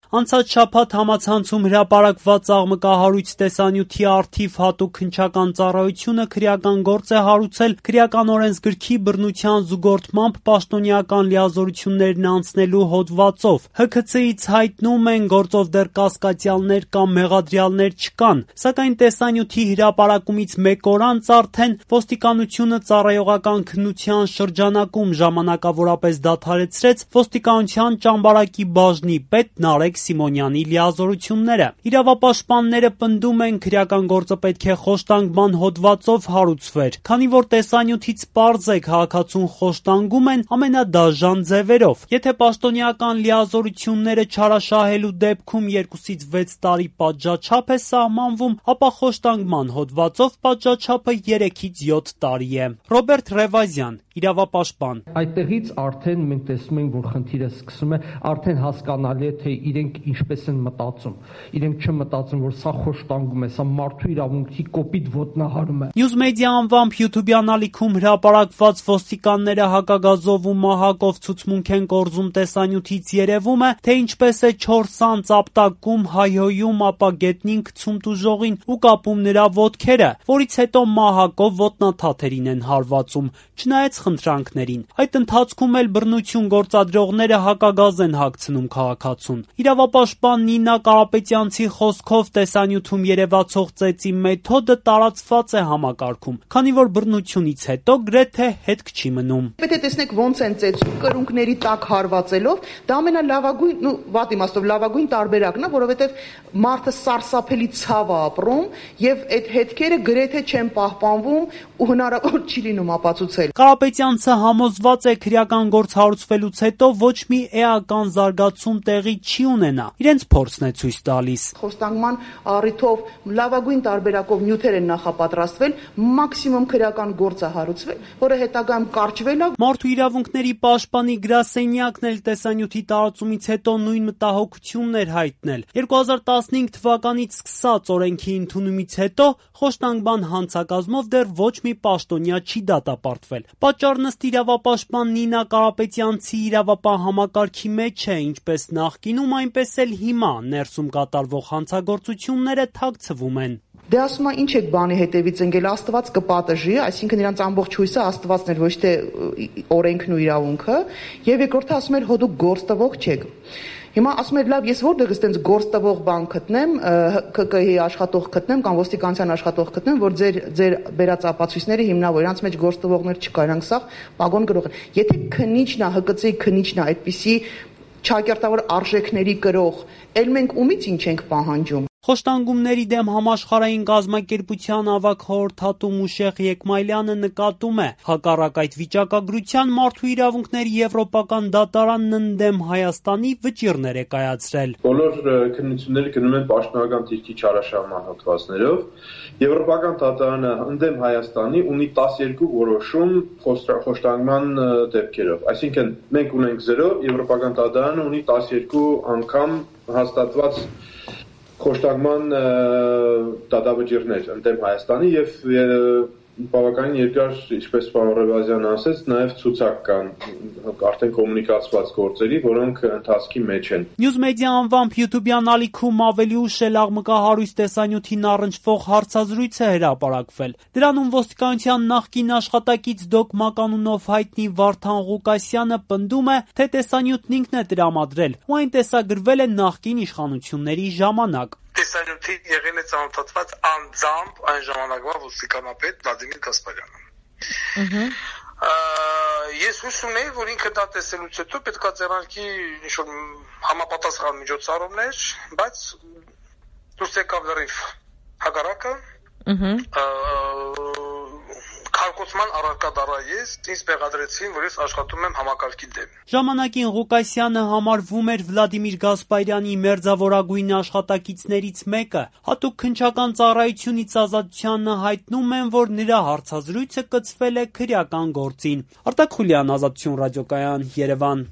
Անցած շաբաթ համացանցում հրապարակված աղմկահարույց տեսանյութի առթիվ հատուկ քննչական ծառայությունը քրեական գործ է հարուցել քրեական օրենսգրքի բռնության զուգորդմամբ պաշտոնեական լիազորություններն անցնելու հոդվածով։ ՀՔՑ-ից հայտնում են, գործով դեռ կասկածյալներ կամ մեղադրյալներ չկան, սակայն տեսանյութի հրապարակումից մեկ օր անց արդեն ոստիկանությունը ծառայողական քննության շրջանակում ժամանակավորապես դադարեցրեց ոստիկանության ճամբարակի բաժնի պետ Նարեկ Սիմոնյանի լիազորությունները։ Իրավապաշտպանները պնդում են, քրեական գործը պետք է խոշտանգման հոդվածով հարուցվեր, քանի որ տեսանյութից պարզ է քաղաքացուն խոշտանգում են ամենադաժան ձևերով։ Եթե պաշտոնեական լիազորությունները չարաշահելու դեպքում 2-ից 6 տարի պատժաչափ է սահմանվում, ապա խոշտանգման հոդվածով պատժաչափը 3-ից 7 տարի է։ Ռոբերտ Ռևազյան, իրավապաշտպան։ Այդտեղից արդեն մենք տեսնում ենք, որ խնդիրը սկսում է, արդեն հասկանալի է, թե իրենք ինչպես են մտածում։ Իրենք չմտածում, որ սա խոշտանգում է, սա մարդու իրավունքի կոպիտ ոտնահարում է։ Newsmedia անվամբ YouTube-յան ալիքում հրապարակված ոստիկանները հակագազով ու մահակով ցուցմունք են կորզում տեսանյութից երևում է, թե ինչպես է 4 անց ապտակում, հայհոյում, ապա գետնին գցում տուժողին ու կապում նրա ոտքերը, որից հետո մահակով ոտնաթաթերին են հարվածում, չնայած խնդրանքներին։ Այդ ընթացքում էլ բռնություն գործադրողները հակագազ են հագցնում քաղաքացուն։ Իրավապաշտպան Նինա Կարապետյանցի խոսքով տեսանյութում երևացող ծեծի մեթոդը տարածված է համակարգում, քանի որ բռնությունից հետո գրեթե հետք չի մնում։ Եթե տեսնեք ոնց են ծեծում կրունկների տակ հարվածելով, դա ամենալավագույն, վատ իմաստով լավագույն տարբերակն է, որովհետև մարդը սարսափելի ցավ է ապրում եւ այդ հետքերը գրեթե չեն պահպանվում ու հնարավոր չի լինում ապացուցել։ Կարապետյանցը համոզված է, քրեական գործ հարուցվելուց հետո ոչ մի էական զարգացում տեղի չի ունենա։ Իրենց փորձն է ցույց տալիս։ Խոշտանգման առիթով լավագույն տարբերակով նյութեր են նախապատրաստվել, մաքսիմում քրեական գործ է հարուցվել, որը հետագայում կարճվել է։ Մարդու իրավունքների պաշտպանի գրասենյակն էլ տեսանյութի տարածումից հետո նույն մտահոգությունն էր հայտնել։ 2015 թվականից սկսած օրենքի ընդունումից հետո խոշտանգման հանցակազմով դեռ ոչ մի պաշտոնյա չի դատապարտվել։ Պատճառն ըստ իրավապաշտպան Նինա Կարապետյանցի իրավապահ համակարգի մեջ է, ինչպես նախկինում, այնպես էլ հիմա ներսում կատարվող հանցագործությունները թաքցվում են։ Դե ասում է ինչ եք բանի հետևից ընկել, Աստված կպատժի, այսինքն իրանց ամբողջ հույսը Աստվածն էր, ոչ թե օրենքն ու իրավունքը, եւ երկրորդը ասում էր հո դուք գործ տվող չեք։ Հիմա ասում էր լավ, ես որտեղից տենց գործ տվող բան գտնեմ, ԿԿՀ-ի աշխատող գտնեմ կամ ոստիկանության աշխատող գտնեմ, որ ձեր բերած ապացույցները հիմնավոր, իրանց մեջ գործ տվողներ չկա, իրանք սա պագոն գրող են։ Եթե քնիչն է, ՀԿՑ-ի քնիչն է, այդպիսի չակերտավոր արժեքների կրող, ել մենք ումից ինչ ենք պահանջում։ Խոշտանգումների դեմ համաշխարհային կազմակերպության ավագ խորհրդատու Մուշեղ Եկմայլյանը նկատում է, հակառակ այդ վիճակագրության մարդու իրավունքների եվրոպական դատարանն ընդդեմ Հայաստանի վճիռներ է կայացրել։ Բոլոր քննությունները գնում են պաշտոնական դիրքի չարաշահման հոդվածներով։ Եվրոպական դատարանը ընդդեմ Հայաստանի ունի 12 որոշում խոշտանգման դեպքերով։ Այսինքն մենք ունենք 0, Եվրոպական դատարանը ունի 12 անգամ հաստատված խոշտանգման դատավճիռներ ընդդեմ Հայաստանի եւ բավականին երկար, ինչպես պարոն Ռևազյանը ասաց, նաև ցուցակ կան արդեն կոմունիկացված գործերի, որոնք ընթացքի մեջ են։ Newsmedia անվամբ YouTube-յան ալիքում ավելի ուշ էլ աղմկահարույց տեսանյութին առնչվող հարցազրույց է հրապարակվել։ Դրանում ոստիկանության նախկին աշխատակից Դոկ Մականունով հայտնի Վարդան Ղուկասյանը պնդում է, թե տեսանյութն ինքն է տրամադրել ու այն տեսագրվել է նախկին իշխանությունների ժամանակ։ Տեսանյութին եղել է ծանոթացված անձամբ այն ժամանակվա ոստիկանապետ Վլադիմիր Գասպարյանը։ Ես հույս ունեի, որ ինքը դա տեսելուց հետո պետք է ձեռնարկի ինչ-որ համապատասխան միջոցառումներ, բայց դուրս եկավ լրիվ հակառակը։ Քարկոծման առարկա դառա ես, ինձ մեղադրեցին, որ ես աշխատում եմ համակարգի դեմ։ Ժամանակին Ղուկասյանը համարվում էր Վլադիմիր Գասպարյանի մերձավորագույն աշխատակիցներից մեկը։ Հատուկ քննչական ծառայությունից ազատությանը հայտնում են, որ նրա հարցազրույցը կցվել է քրեական գործին։ Արտակ Խուլյան, Ազատություն ռադիոկայան, Երևան։